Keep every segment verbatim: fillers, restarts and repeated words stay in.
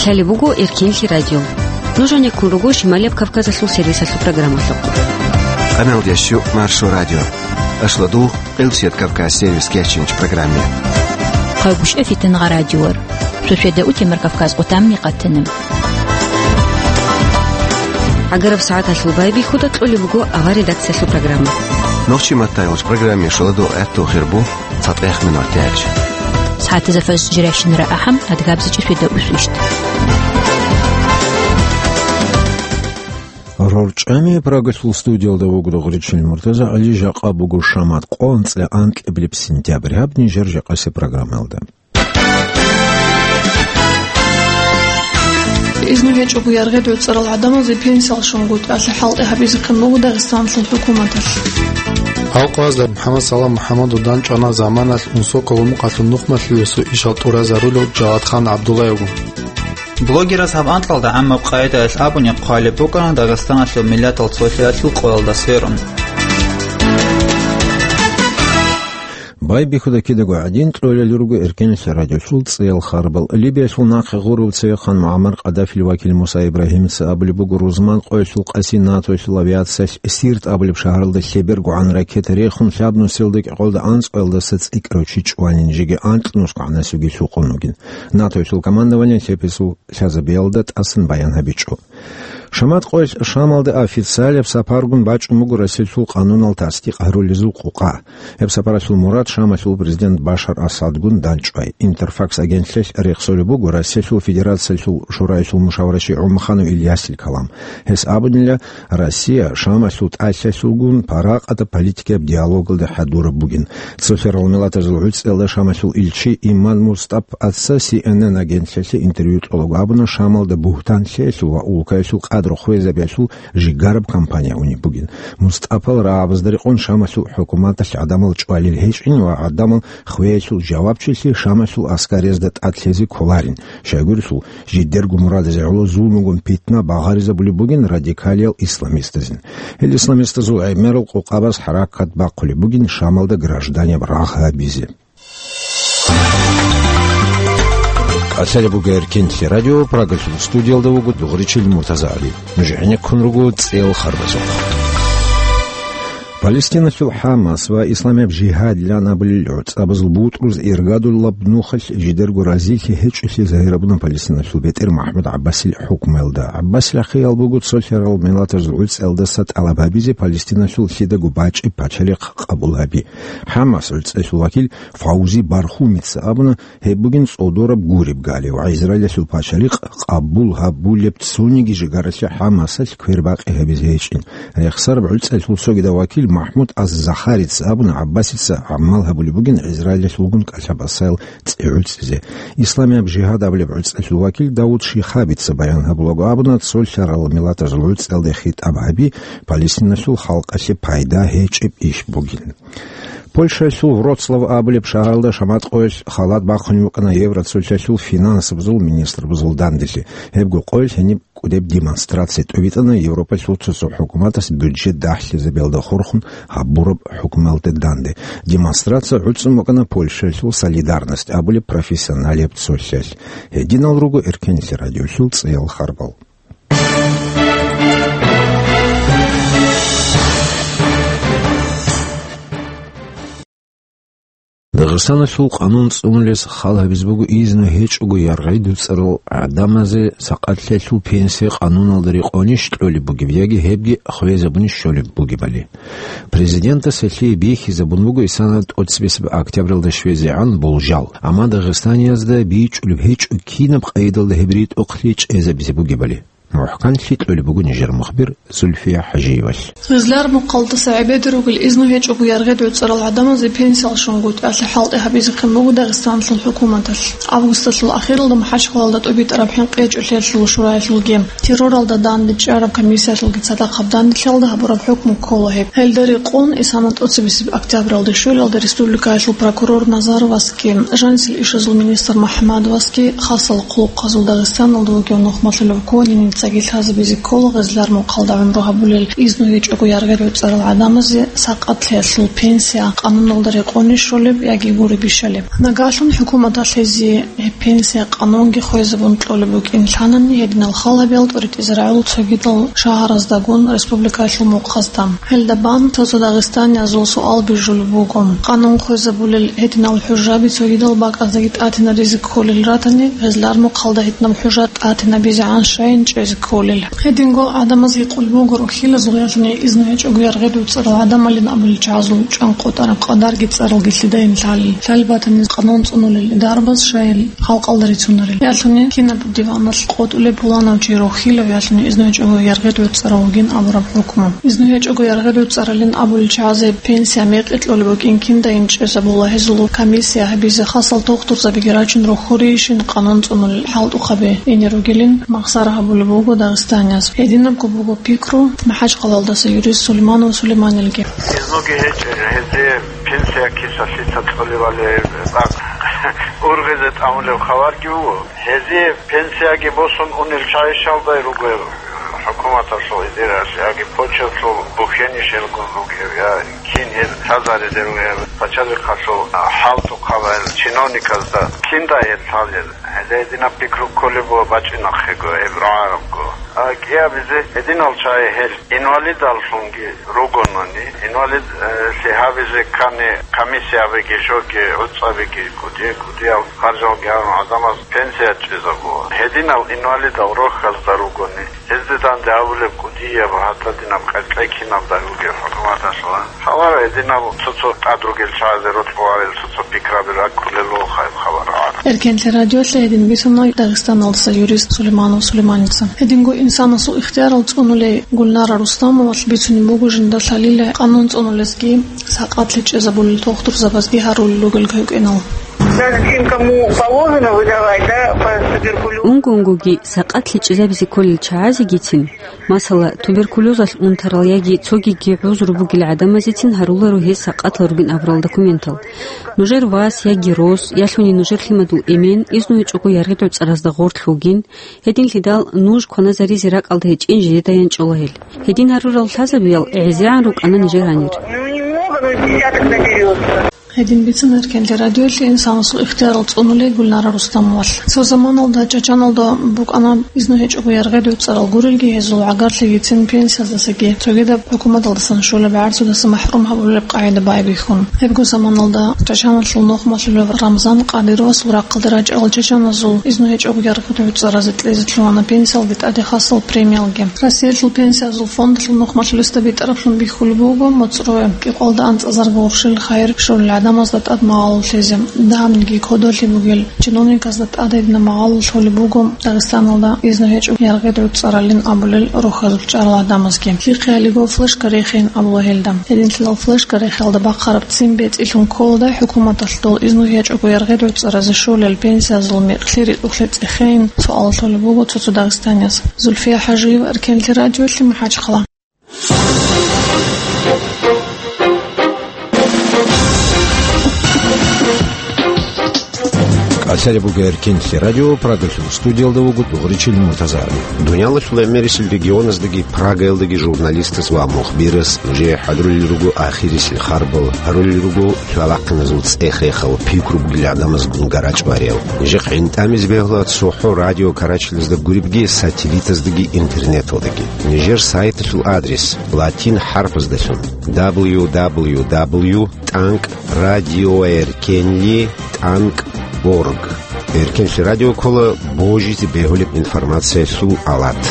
Лъалеб буго Эркенлъи радио. Нуж гьанеккун руго Шималияб Кавказалъул сервисалъул программалъухъ. Къамел ящу Маршо радио. Ашладу Къилсият Кавказ сервис кечинч программе. Хъагушев Фитнагъа радиор. Суседа утемар Кавказ къутамни къатанам. Агараб сагӀаталъул байбихьуда кьолеб буго авар редакциялъул программа. Нохчи маттайгъуч программе шоладу гӀатту хирбу цатӀех минут тяч. СагӀатазда фаз жиращинара ахӀам адгабзичӀи суседа усвищт. РорчӀами Прагалъул студиялда вугру гъричил Муртаза ГӀали, жакъа буго шамат къо анцӀила анкьабилеб сентябрь. Гьаб нижер жакъасе программалда. Изну гьечӀого яргъи гӀуцӀарал гӀадамазе пенсиял щунгутӀалъе хӀалтӀи гьабизехъин буго Дагъистанлъул хӀукуматалъ. Гьал къвазда МухӀаммад Салам МухӀаммадов данчӀвана заманалъ Унсоколо мукъалъул нухмалъулесо ишал тӀуразарулев Жавадхан ГӀабдуллаевгун. Блогерас гьаб анкьалда гӀаммаб къагӀидаялъ абуни хъвалеб букӀана Дагъистаналъул миллатал цолъиялъул къоялда сверун. Байбихьуда кидаго гӀадин, кьолел руго Эркенлъи радиолъул цӀеял харбал. Либиялъул нахъе гъурав цевехъан МугӀаммар Къаддафил вакил Муса Ибрагьимица абулеб буго, рузман къоялъул къаси НАТОялъул авиациялъ Сирт абулеб шагьаралда лъебергогӀан ракета рехун, лъабнусиялда кӀикъоялда анцӀгоялдаса цӀикӀкӀарав чи чӀванин, жеги анкьнусгогӀанасевги лъукъун вугин. НАТОялъул командованиялъ гьеб гьесул лъазабиялда тӀасан баян гьабичӀо. Шамат къоялъ Шамалда официалаб сапаргун бачӀун буго Россиялъул къанунал тасдикъ гьарулезул къукъа. Гьеб сапаралъул мурад Шамалъул президент Башар Асадгун данчӀвай. Интерфакс агентлъиялъ рехсолеб буго Россиялъул Федерациялъул Шураялъул мушаварачи ГӀумаханов Ильясил калам. Гьес абунила, Россия Шамалъул тӀалъалъулгун паракъатаб политикаяб диалогалде хӀадураб бугин. Цолъарал миллатазул гӀуцӀиялда Шамалъул илчи Иман МустӀапаца Си Эн Эн агентлъиялъе интервью кьолаго абуна, Шамалда бугьтанлъиялъул ва улкаялъул къадру хвезабиялъул жигараб кампания унеб бугин. МустӀапал рагӀабазда рекъон Шамалъул хӀукуматалъ гӀадамал чӀвалел гьечӀин ва гӀадамал хвеялъул жавабчилъи Шамалъул аскариязда тӀадлъезе кколарин. Щайгурелъул, жидерго мурадазе гӀоло зулмугун питна багъаризабулеб бугин радикалиял исламистазин. Гьел исламистазул гӀемерал къукъабаз хӀаракат бахъулеб бугин Шамалда гражданияб рагъ гьабизе. Калъалеб буго Эркенлъи радио, Прагалъул студиялда вуго дугъричил Муртаза ГӀали. Нуж гӀенеккун руго цӀел харбазухъ. Палестиналъул ХӀамас ва Исламияб жигьад лан абулел гӀуцӀабазул бутӀруз иргадулаб нухалъ жидерго разилъи гьечӀолъи загьирабуна Палестиналъул бетӀер МахӀмуд ГӀаббасил хӀукмуялда. ГӀаббасил ахиял буго цолъарал миллатазул гӀуцӀиялдаса тӀалаб гьабизе Палестиналъул лъидаго бачӀеб пачалихъ къабул гьаби. ХӀамас гӀуцӀиялъул вакил Фавзи Бархумица абуна, гьеб бугин цӀодораб гуреб галев ва Израилалъул пачалихъ къабул гьабулеб цониги жигаралъе ХӀамасалъ квербакъи гьабизе гьечӀин. Рехсараб гӀуцӀиялъул цогидав вакил МахӀмуд аз-Захарица абуна, ГӀаббасица гӀамал гьабулеб бугин Израилалъулгун кӀалъа-басаял цӀи гӀуцӀизе. Исламияб жигьад абулеб гӀуцӀиялъул вакил Давуд Шихабица баян гьабулаго абуна, цолъарал миллатазул гӀуцӀиялде хитӀаб гьаби Палестиналъул халкъалъе пайда гьечӀеб иш бугин. Польшаялъул Вроцлав абулеб шагьаралда шамат къоялъ халат бахъунев вукӀана Евроцолъалъул финансабазул министрбазул данделъи. Гьебго къоялъ гьениб кӀудеб демонстрация тӀобитӀана Европалъул цо-цо хӀукуматас бюджет дагьлъизабиялда хурхун гьабураб хӀукмуялде данде. Демонстрация гӀуцӀун букӀана Польшаялъул Солидарность абулеб профессионалияб цолъалъ. Гьединал руго Эркенлъи радиолъул цӀеял харбал. Дагъистаналъул къанун цӀунулес хал гьабизе буго изну гьечӀого яргъи дуцӀарал гӀадамазе сакъатлъиялъул пенсия къануналда рекъонищ кьолеб бугеб яги гьебги хвезабунищ щолеб бугебали. Президентас гьелъие бихьизабун буго исана тӀоцебесеб октябралда щвезегӀан болжал, амма дагъистаниязда бичӀчӀулеб гьечӀо кинаб къайдалда гьеб ритӀухълъи чӀезабизе бугебали. МухӀканлъи кьолеб буго нижер мухбир Зульфия ХӀажиевалъ. Гъизлар мухъалдаса гӀебеде ругел изну гьечӀого яргъи дуцӀарал гӀадамазе пенсиял щунгутӀиялъе хӀалтӀи гьабизехъин буго Дагъистанлъул хӀукуматалъ. Августалъул ахиралда МахӀачхъалалда тӀубитӀараб хӀинкъи гьечӀолъиялъул шураялъулги, терроралда данде чӀараб комиссиялъулги цадахъаб данделъиялда гьабураб хӀукму ккола гьеб. Гьелда рекъон, исана тӀоцебесеб октябралда щвелалда республикаялъул прокурор Назаровасги, жанисел ишазул министр МухӀаммадовасги, хасал хъулухъазул Дагъистаналда вугев нухмалъулев Конинин Цоги лъазабизе ккола гъезлар мухъалда гӀумру гьабулел изну гьечӀого яргъи гӀуцӀарал гӀадамазе сакъатлъиялъул пенсия къануналда рекъони щолеб яги гури бищалеб. Нагагьлъун хӀукуматалъ гьезие гьеб пенсия къанунги хвезабун кьолеб букӀин лъанани, гьединал хал гьабиялда тӀоритӀизе рагӀула цогидал шагьараздагун республикаялъул мухъазда. Гьелда бан цо-цо дагъистаниязул суал бижулеб буго: къанун хвезабулел гьединал хӀужаби цогидал бакӀаздаги тӀатинаризе кколел ратани, гъезлар мухъалда гьединаб хӀужа тӀатинабизегӀан щайин чӀезе кколел? Гьединго гӀадамаз гьикъулеб буго рохьилазул ялъуни изну гьечӀого яргъи гӀуцӀарал гӀадамалин абулел чагӀазул чӀван къотӀараб къадарги цӀаралги лъидайин лъалел, лъалеб батани къанун цӀунулел дарбаз щайин халкъалда рицунарел. Ялъуни кинаб диваналъ къотӀулеб пуланав чи рохьилав ялъуни изну гьечӀого яргъи гӀуцӀарав вугин абураб хӀукму. Изну гьечӀого яргъи гӀуцӀаралин абулел чагӀазе пенсия мекъи кьолеб букӀин киндайин чӀезабула гьезул комиссия гьабизе хасал тухтурзабиги рачун рохьурейищин къанун цӀунулел хӀалтӀухъаби ине ругилин махсара гьабулеб буго дагъистанияз. Гьединабго буго пикру МахӀачхъалаялдаса юрист Сулейманов Сулейманилги. Изнуги гьечӀел, гьезие пенсия киса-лъица кьоливали бакъ ургъизе тӀамулеб хабарги буго. Гьезие пенсияги босун унел чагӀищалдай ругел хӀукуматалъул идеялъ яги почталъул бухьенищелгун ругел, я кин гьел лъазаризе ругел пачалихъалъул хӀалтӀухъабал чиновниказда киндай гьел лъалел? Гьезие гьединаб пикру кколеб ва бачӀинахъего гьеб рагӀарабго. А кӀиабизе гьединал чагӀи гьел инвалидаллъунги ругонани, инвалид, э, лъи гьабизе ккани комиссиябиги, жоги, гӀуцӀабиги, кӀудиял харжалги гьарун гӀадамаз пенсия чӀезабула. Гьединал инвалидал рохьазда ругони, гьезде данде абулеб кӀудияб гьатӀадинаб къеркьей кинабдай бугеб хӀукуматалъулан. Хабар гьединаб цо-цо тӀад ругел чагӀазе рокьуларел цо-цо пикраби раккулел вохайб хабар гӀад. Эркенлъи радиолъи гьедин бицуна Дагъистаналдаса юрист Сулейманов Сулейманица. Гьединго инсанасул ихтиярал цӀунулей Гульнара Рустамовалъ бицунеб буго жинда лъалила къанун цӀунулезги, сакъатлъи чӀезабулел тухтурзабазги гьарулел ругел гьукӀинал. Даже тем, кому положено выдавать, да, по туберкулезу. Унго-унгоги сакъатлъи чӀезабизе кколел чагӀазегицин, масала, туберкулезалъ унтарал яги цогиги гӀузру бугел гӀадамазецин гьаруларо гьез сакъатлъун ругин абурал документал. Нужер вас яги рос, ялъуни нужер лъимадул эмен изну гьечӀого яргъи гӀуцӀаразда гъорлъ вугин, гьединлъидал нуж кваназаризе ракӀалда гьечӀин жидеда янчӀола гьел. Гьедин гьарурал лъазабиял гӀезегӀан рукӀана нижер гьанир. Ну, немного, но десяток наберётся. Гьедин бицун Эркенлъи радиолъи инсанасул ихтиярал цӀунулей Гульнара Рустамовалъ. Цо заманалда Чачаналда букӀана изну гьечӀого яргъи гӀуцӀарал гурелги гьезул гӀагарлъигицин пенсиялдасаги цогидаб хӀукуматалдасан щолеб гӀарцудаса махӀрум гьабулеб къагӀида байбихьун. Гьебго заманалда Чачаналъул нухмалъулев Рамзан Къадировасул рахъалде рачӀарал чачаназул изну гьечӀого яргъи гӀуцӀаразе кьезе лъугьана пенсиялги тӀаде хасал премиялги. Россиялъул пенсиязул фондалъул нухмалъулесда битӀараблъун бихьулеб буго моцӀрое кӀикъоялда анцӀазарго гъурщел хайир щолел гӀадамазда тӀад магӀалулъизе. Дагьабниги кодолъи бугел чиновниказда тӀад гьединаб магӀалулъ лъолеб буго Дагъистаналда изну гьечӀого яргъи гӀуцӀаралин абулел рохьазулъ чӀарал гӀадамазги. Лъихъе гьалиго флешка рехейин абула гьелда. Гьединлъидал флешка рехиялда бахъараб ццин бецӀилъун кколадай хӀукуматалъ дол изну гьечӀого яргъи гӀуцӀаразе щолел пенсиязул мекълъи ритӀухълъи цӀехейин суал лъолеб буго цо-цо дагъистанияз. Зульфия ХӀажиева, Эркенлъи радиолъи, МахӀачхъала. КӀалъалеб буго Эркенлъи радио, Прагалъул студиялда вуго Дугъричил Муртаза. Дуниялалъул гӀемерисел регионаздаги Прагаялдаги журналистас ва мухбирас нужее хӀадурулел руго ахирисел харбал, гьарулел руго лъалахъиназул цӀех-рехал, пикру бугел гӀадамазгун гарачӀ бариял. Нижехъ гӀинтӀамизе бегьула цохӀо радио Карачилазда гуребги сателлитаздаги интернеталдаги. Нижер сайталъул адрес латин хӀарпаздалъун: дабл ю дабл ю дабл ю тӀанкӀ радиоэркенли тӀанкӀ орг. Эркенлъи радио ккола божизе бегьулеб информациялъул алат.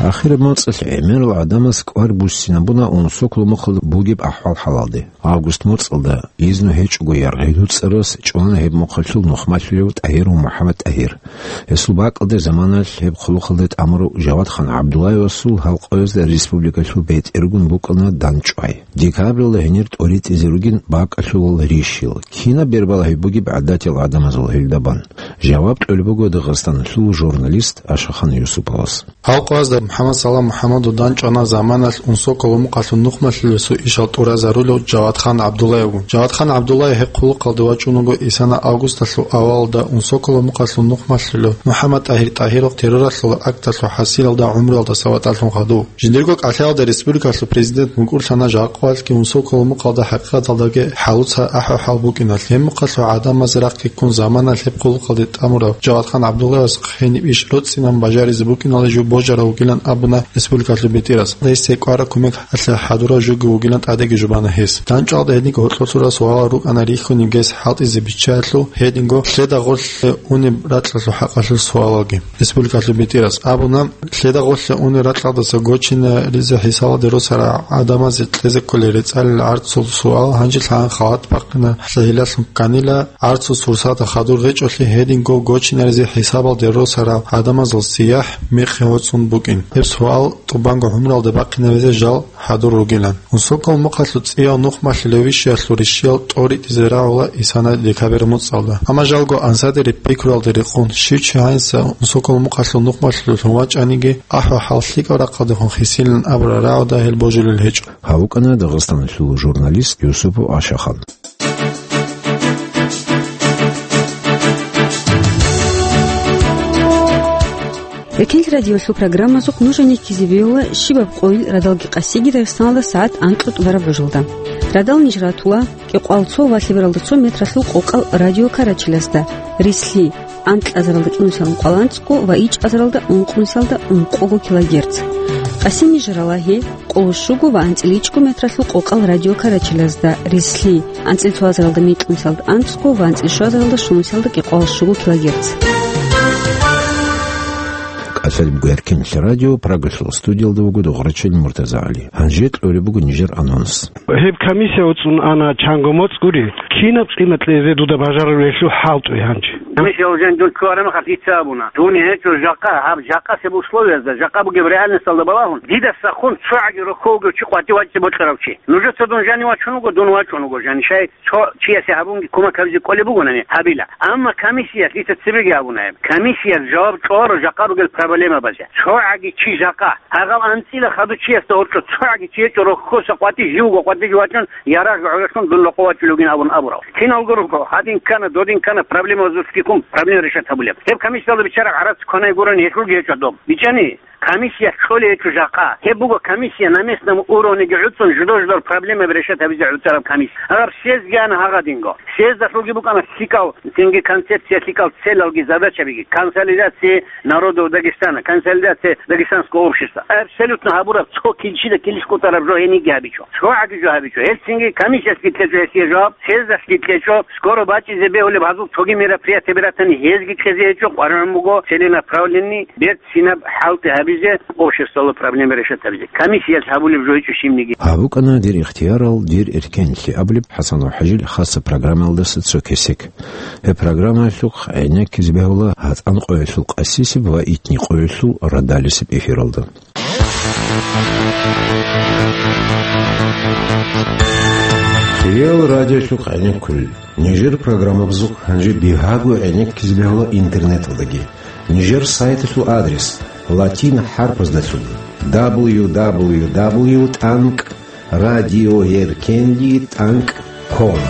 Ахираб моцӀалъ гӀемерал гӀадамас кӀвар буссинабуна унсокъо мухъалда бугеб ахӀвал-хӀалалде. Август моцӀалда изну гьечӀого яргъи гӀуцӀарас чӀвана гьеб мухъалъул нухмалъулев ТӀагьиров МухӀаммад ТӀагьир. Гьесул бакӀалде заманалъ гьеб хъулухъалде тӀамурав Жавадхан ГӀабдуллаевасул гьалкъоязда республикалъул бетӀергун букӀана дандчӀвай. Декабралда гьенир тӀоритӀизе ругин бакӀалъулал рищил. Кинаб бербалагьи бугеб гӀадатиял гӀадамазул гьелда бан. Жаваб кьолеб буго Дагъистаналъул журналист Ашахан Юсуповас. Гьал къоязда МухӀаммад Салам МухӀаммадов данчӀана заманалъ Унсоколо мукъалъул нухмалъулесул ишал тӀуразарулев Жавадхан ГӀабдуллаевгун. Жавадхан ГӀабдуллаев гьеб хъулухъалде вачӀун вуго Исана августалъул авалалда Унсоколо мукъалъул нухмалъулев МухӀаммад ТӀагьир ТӀагьиров терроралъул акталъул хӀасилалда гӀумруялдаса ватӀалъун хадув. Жиндирго кӀалъаялда республикалъул президент мукӀурлъана жакъуалъги Унсоколо мукъалда хӀакъикъаталдаги хӀалуца ахӀу-хӀал букӀиналъ. Гьеб мукъалъул гӀадамазе рахъги ккун заманалъ гьеб хъулухъалде тӀамурав Жавадхан ГӀабдуллаевас хениб иш роцӀцӀинан бажаризе букӀиналда жо божарав вугилан абуна республикалъул бетӀерас. Гьесие кӀвараб кумек гьалъа хӀадурав жоги вугилан тӀадеги жубана гьес. ДанчӀвалда гьединго гьоркьор лъурал суалал рукӀана рихьунеб гьес хӀалтӀизе биччаялъул, гьединго лъеда гъорлъе унеб ракьалъул хӀакъалъулъ суалалги. Республикалъул бетӀерас абуна, лъеда гъорлъе унел ракьалдаса гочинаризе хӀисалалде росарал гӀадамазе кьезе кколел рецӀалил гӀарцул суал гьанже лъагӀан халат бахъина, лъагьилалъун кканила, гӀарцул сурсатал хадур гьечӀолъи гьединго гочинаризе хӀисабалде росарал гӀадамазул сияхӀ мекъи гьоцӀун букӀин. Гьеб суал тӀубанго гӀумруялда бахъинавизе жал хӀадур ругилан. Унсоколо мукъалъул цӀияв нухмалъулев вишиялъул ришиял тӀоритӀизе рагӀула Исана декабрь муцӀалда. Амма жалго ансадериб пикруялда рекъон, щив чи гьанса Унсоколо мукъалъул нухмалъулев вачӀаниги, ахӀу-хӀал лъикӀаб рахъалдехун хисилин абураб рагӀуда гьел божулел гьечӀо. Гьав вукӀана Дагъистаналъул журналист Юсупов Ашахан. Эркенлъи радиолъул программазухъ нуж гӀенеккизе бегьула щибаб къойил радалги къасиги Дагъистаналда сагӀат анкьго тӀубараб гӀужалда. Радал ниж ратула кӀикъоялда цо ва лъебералда цо метралъул къокъал радиокарачелазда, рислъи, анкьазаралда кӀинусиялда ункъоялда анцӀго ва ичӀазаралда ункънусиялда ункъого килогерц. Къаси ниж рала гьеб къоло щуго ва анцӀила ичӀго метралъул къокъал радиокарачелазда, рислъи, анцӀила цоазаралда микьнусиялда анцӀго ва анцӀила щуазаралда щунусиялда кӀикъоялда щуго килогерц. КӀалъалеб буго Эркенлъи радио, Прагалъул студиялда вуго дугӀрачил МуртазагӀали. Гьанже кьолеб буго нижер анонс. Гьеб комиссия уцӀун ана чанго моцӀ гури. Кинаб къимат кьезе дуда бажарулелъул хӀалтӀуе гьанже? Гьанже гьанже дун ккараб мехалъ дица абуна. Дун гьечӀо жакъа, гьаб жакъасеб условиязда, жакъа бугеб реальносталда балагьун, дидаса хун цогӀаги рохьовго чи къватӀив вачӀине бокьарав чи. Нужеца дун жанив вачун вуго, дун вачун вуго жанив. Щай цо чиясе гьабунги кумек гьабизе кӀолеб бугонани, гьабила. Амма комиссиялъ дица цебеги абуна гьеб. Комиссиялъ жаваб кьоларо жакъа ругел проблемабазе. ЦогӀаги чи жакъа. Гьагъал анцӀила хадув чиясда гьоркьо цогӀаги чи гьечӀо, рохьоса къватӀив живго къватӀив вачӀун, ярагъ гӀололъун дун рокъов вачулев вугин абун абурав. Киналго руго, гьадин ккана, додин ккана, проблемабазулъги ккун, проблема решать гьабулеб. Гьеб комиссиялда биччараб гӀарац кванай гурони гьелъулги гьечӀо доб. БичӀчӀани, комиссиялъ кьолей гьечӀо жакъа. Гьеб буго комиссия на местном уровнеги гӀуцӀун жидер-жидер проблемаби решать гьабизе гӀуцӀараб комиссия. Гьаб съездги ана гьагъадинго. Съездалъулги букӀана лъикӀал, цинги концепция, лъикӀал целалги задачабиги. Консолидация народов Дагестана, консолидация дагестанского общества. Абсолютно гьабураб цо килщида килищ кӀутӀараб жо гьениги гьабичӀо. ЦогӀаги жо гьабичӀо. Гьелцинги комиссиялъги кьечӀо гьесие жаваб, съездалъги кьечӀо, скоро бачӀизе бегьулеб гьазул цоги мероприятиеби ратани гьезги кьезе гьечӀо, къваригӀун буго целенаправленный, берцинаб хӀалтӀи гьабизе обществоялъул проблема решать гьабизе. Комиссиялъ гьабулеб жо гьечӀо щибниги. Гьаб букӀана «Дир ихтиярал, дир эркенлъи» абулеб ХӀасанов ХӀажил хаса программаялдаса цо кесек. Гьеб программаялъухъ гӀенеккизе бегьула гьатӀан къоялъул къасисеб ва итни къоялъул радалисеб эфиралда. Хиял радиолъухъ гӀенеккулел. Нижер программабазухъ гьанже бигьаго гӀенеккизе бегьула интернеталдаги. Нижер сайталъул адрес латин хӀарпаздалъун: дабл ю дабл ю дабл ю тӀанкӀ радиоэркенлъи тӀанкӀ ком.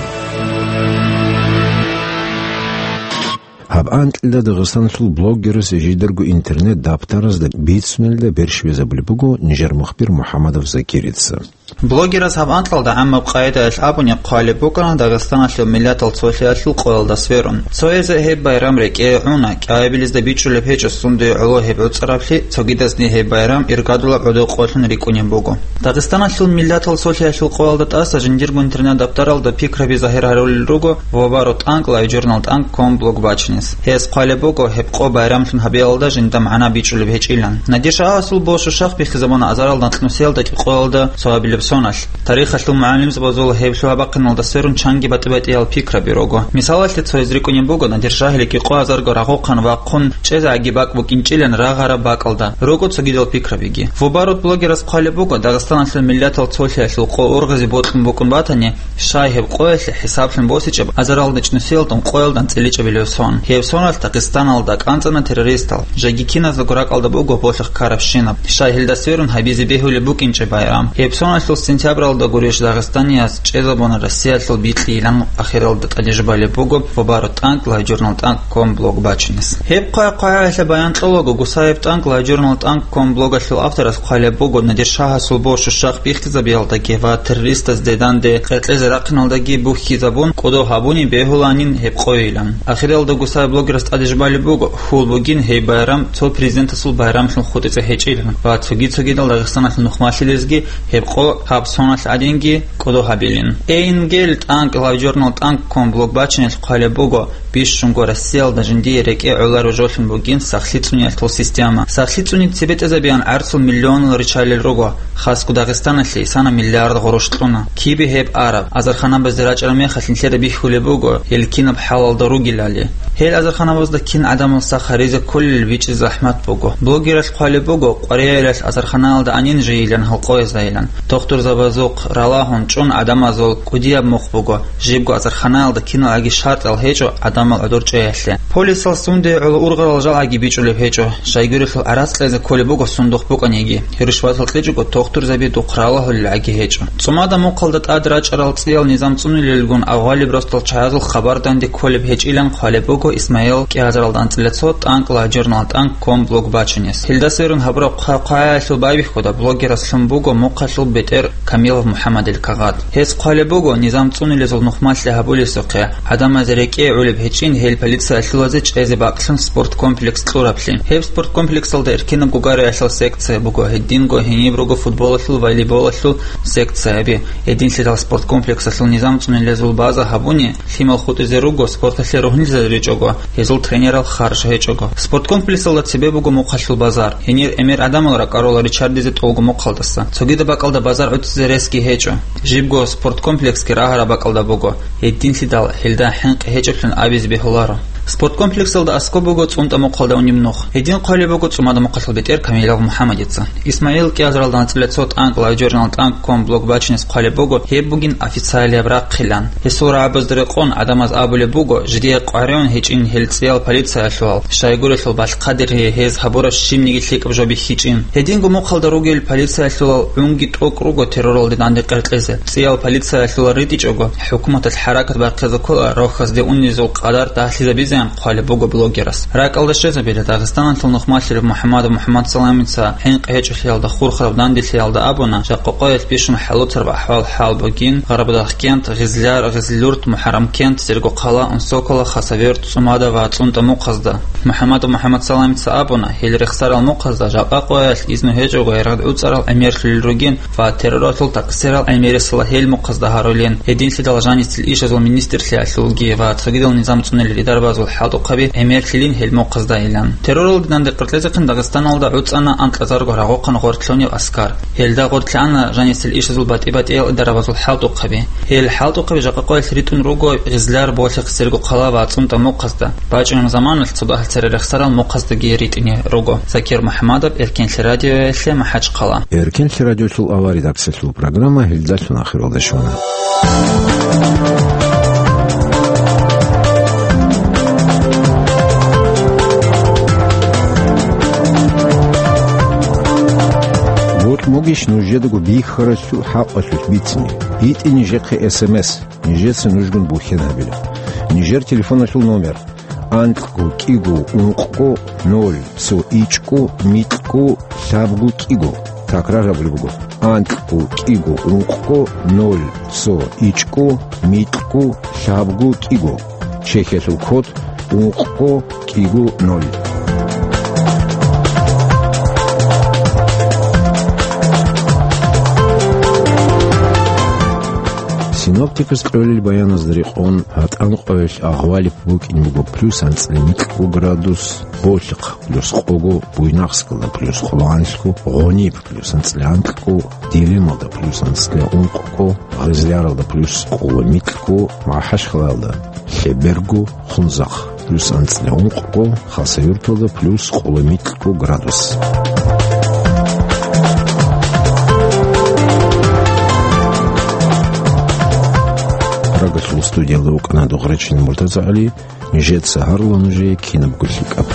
Гьаб анкьилда Дагъистаналъул блогерас жидарго интернет-даптаразда бицунелда берщибезабулеб буго нижер мухбир МухӀаммадов Закирица. Блогерас гьаб анкьалда гӀаммаб къагӀидаялъ абуни хъвалеб букӀана Дагъистаналъул миллатал цолъиялъул къоялда сверун. Цоязе гьеб байрам рекӀее гӀуна, кӀиабилезда бичӀчӀулеб гьечӀо сундуе гӀоло гьеб гӀуцӀараблъи, цогидазни гьеб байрам иргадулаб гӀодов къоялъун рикӀкӀунеб буго. Дагъистаналъул миллатал цолъиялъул къоялда тӀаса жиндирго интернет-даптаралда пикраби загьир гьарулел руго Воваро тӀанкӀ лайв журнал тӀанкӀ ком блог бачинес. Гьес хъвалеб буго гьеб къо байрамлъун гьабиялда жинда магӀна бичӀчӀулеб гьечӀилан. Надир Шагьасул бо Шушахъ бихьизабуна азарал анкьнусиялда кӀикъоялда цоабилеб Соналъ. Тарихалъул мугӀалимзабазул гьеб лъугьа-бахъиналда сверун чанги батӀи-батӀиял пикраби руго. Мисалалъе, цояз рикӀкӀунеб буго, Надир Шагьилги къо азарго рагъухъан вахъун чӀезеги бакӀ букӀинчӀилан рагъараб бакӀалда. Руго цогидал пикрабиги. Вубарут блогерас хъвалеб буго, Дагъистаналъул миллатал цолъиялъул къо ургъизе бокьун букӀун батани, щай гьеб къоялъе хӀисаблъун босичӀеб азаралда чӀнусиялдун къоялда анцӀила чӀебилев сон. Гьеб соналъ Дагъистаналда кӀанцӀана террористал, жеги киназдаго ракӀалда буго болъихъ ккарабщинаб. Щай гьелда сверун гьабизе бегьулеб букӀинчӀеб байрам. Гьеб соналъул сентябралда гурищ дагъистанияс чӀезабуна Россиялъул бикьилан ахиралда тӀадежбалеб буго Вубарут тӀанкӀ лайв журнал тӀанкӀ ком блог бачинес. Гьеб хъвай-хъваялъе баян кьолаго, Гусаев тӀанкӀ лайв журнал тӀанкӀ ком блогалъул авторас хъвалеб буго, Надир Шагьасул борщу щах бихьизабиялдаги ва террористазде данде къеркьезе рахъиналдаги бухьизабун кӀодо гьабуни бегьуланин гьеб къойилан. Ахиралда Гусаев блогерас тӀадежбалеб буго, хьул бугин гьеб байрам цо президентасул байрамлъун хутӀизе гьечӀилан ва цоги-цогидал Дагъистаналъул нухмалъилезги гьеб къо гьаб соналъ гӀадинги кӀодо гьабилин. Эйнгел тӀанкӀ лайв журнал тӀанкӀ ком блог бачинелъ хъвалеб буго, бищунго Россиялда жиндие рекӀее гӀолареб жолъун бугин сахлъи цӀуниялъул система. Сахлъи цӀуни цебетӀезабиан гӀарцул миллионал ричалил руго, хасго Дагъистаналъе исана миллиард гъурущ кьуна. Кибе гьеб араб? Азарханабазде рачӀараб мехалъ нилъеда бихьулеб буго, гьел кинаб хӀалалда ругелали. Гьел азарханабазда кин гӀадамал сах гьаризе кколел бичӀчӀизе захӀмат буго. Блогералъ хъвалеб буго, къваригӀелалъ азарханаялда анин жийилан гьалкъоязайилан. Тухтурзабазухъ ралагьун чӀун гӀадамазул кӀудияб мухъ буго, жибго азарханаялда киналгӀаги шартӀал гьечӀо гӀадамал гӀодор чӀеялъе. Полисал сунде гӀоло ургъарал жалгӀаги бичӀчӀулеб гьечӀо, щайгурелъул гӀарац кьезе кколеб буго сундухъ букӀаниги, гьерушбатал кьечӀого тухтурзаби духъ ралагьулелгӀаги гьечӀо. ЦӀумада мухъалда тӀад рачӀарал цӀиял низам цӀунилелгун авгъалиб росдал чагӀазул хабар данде кколеб гьечӀилан хъвалеб буго Исмаил кӀиазаралда анцӀила цо тӀанкӀ лайв журнал тӀанкӀ ком блог бачунес. Гьелда сверун гьабураб хъа-, хъваялъул байбихьуда блогерас лъун буго мухъалъул бетӀер Камилов МухӀаммадил кагъат. Гьес хъвалеб буго, низам цӀунилезул нухмалъи гьабулесухъе, гӀадамазе рекӀее гӀолеб гьечӀин гьел полициялъулазе чӀезе бакълъун спорткомплекс кьураблъи. Гьеб спорткомплексалда эркинаб гугариялъул секция буго, гьединго гьениб руго футболалъул, волейболалъул секцияби. Гьединлъидал спорткомплексалъул низам цӀунилезул база гьабуни, лъимал хутӀизе руго, спорталъе ругьунлъизе ричӀого, гьезул тренерал харж гьечӀого. Спорткомплексалда цебе буго мухъалъул базар. Гьенир гӀемер гӀадамал ракӀарула ричардизе тӀолго мухъалдаса. Цогидаб бакӀалда базар гӀуцӀизе ресги гьечӀо. Жибго спорткомплексги рагьараб бакӀалда буго. Гьединлъидал гьелда хӀинкъи гьечӀеблъун абизе бегьуларо. Спорткомплексалда аскӀоб буго ЦӀунтӀа мухъалда унеб нух. Гьедин хъвалеб буго ЦӀумада мухъалъул бетӀер Камилов МухӀаммадица. Исмаил кӀиазаралда анцӀила цо тӀанкӀ лайв журнал тӀанкӀ ком блог бачинес хъвалеб буго, гьеб бугин официалияб рахъилан. Гьесул рагӀабазда рекъон гӀадамаз абулеб буго, жидее къваригӀун гьечӀин гьел цӀиял полициялъулал, щайгурелъул балъ-хъадир гьез гьабураб щибниги лъикӀаб жо бихьичӀин. Гьединго мухъалда ругел полициялъулал гӀунги тӀокӀ руго терроралде данде къеркьезе. ЦӀиял полициялъулал ритӀичӀого, хӀукуматалъ хӀаракат бахъизе ккола рохьазде унезул къадар дагьлъизабизеян хъвалеб буго блогерас. РакӀалда щвезабила, Дагъистаналъул нухмалъилев МухӀаммадов МухӀаммадсаламица хӀинкъи гьечӀолъиялда хурхараб данделъиялда абуна, жакъа къоялъ бищун хӀалуцараб ахӀвал-хӀал бугин Гъарбадагъкент, Гъизлияр, Гъизлилурт, МухӀаррамкент, Сергокъала, Унсокола, Хасавюрт, ЦӀумада ва ЦӀунтӀа мухъазда. МухӀаммадов МухӀаммадсаламица абуна, гьел рехсарал мухъазда жакъа къоялъ изну гьечӀого яргъад гӀуцӀарал гӀемерлъулел ругин ва терроралъул такъсирал гӀемерисела гьел мухъазда гьарулин, гьединлъидал жанисел ишазул министрлъиялъулги ва цогидал низам цӀунел идарабазул хӀалтӀухъаби гӀемерлъилин гьел мухъаздайилан. Терроралде данде къеркьезехъин Дагъистаналда гӀуцӀана анкьазарго рагъухъан гъортлъунев аскар. Гьелда гъортлъана жанисел ишазул батӀи-батӀиял идарабазул хӀалтӀухъаби. Гьел хӀалтӀухъаби жакъа къоялъ ритӀун руго Гъизлияр болъихъ Сергокъала ва ЦӀунтӀа мухъазда. БачӀунеб заманалъ цо дагьал цере рехсарал мухъаздаги ритӀине руго. Закир МухӀаммадов, Эркенлъи радиоялъе, МахӀачхъала. Эркенлъи радиоялъул аваридаксалъул программа гьелдалъун ахиралда щвана. Бокьугищ нужедаго бихьаралъул хӀакъалъулъ бицине? БитӀе нижехъе эс эм эс, нижеца нужгун бухьен гьабила. Нижер телефоналъул номер: анкьго кӀиго ункъго ноль цо ичӀго микьго лъабго кӀиго. Такрар гьабулеб буго: анкьго кӀиго ункъго ноль цо ичӀго микьго лъабго кӀиго. Чехиялъул код: ункъго кӀиго ноль. Синоптикас кьолел баяназда рекъон, гьатӀан къоялъ агъвалиб букӀин буго плюс анцӀила микьго градус, Болъихъ плюс къого, Буйнакскалда плюс къолоанлъго, Гъуниб плюс анцӀила анкьго, Дилималда плюс анцӀила ункъго, Гъизляралда плюс къоло микьго, МахӀачхалалда лъеберго, Хунзахъ плюс анцӀила ункъго, Хасавюрталда плюс къоло микьго градус. Прагалъул студиялда вукӀана Дугъречил МуртазагӀали. Нижеца гьарула нужее кинабго лъикӀаб.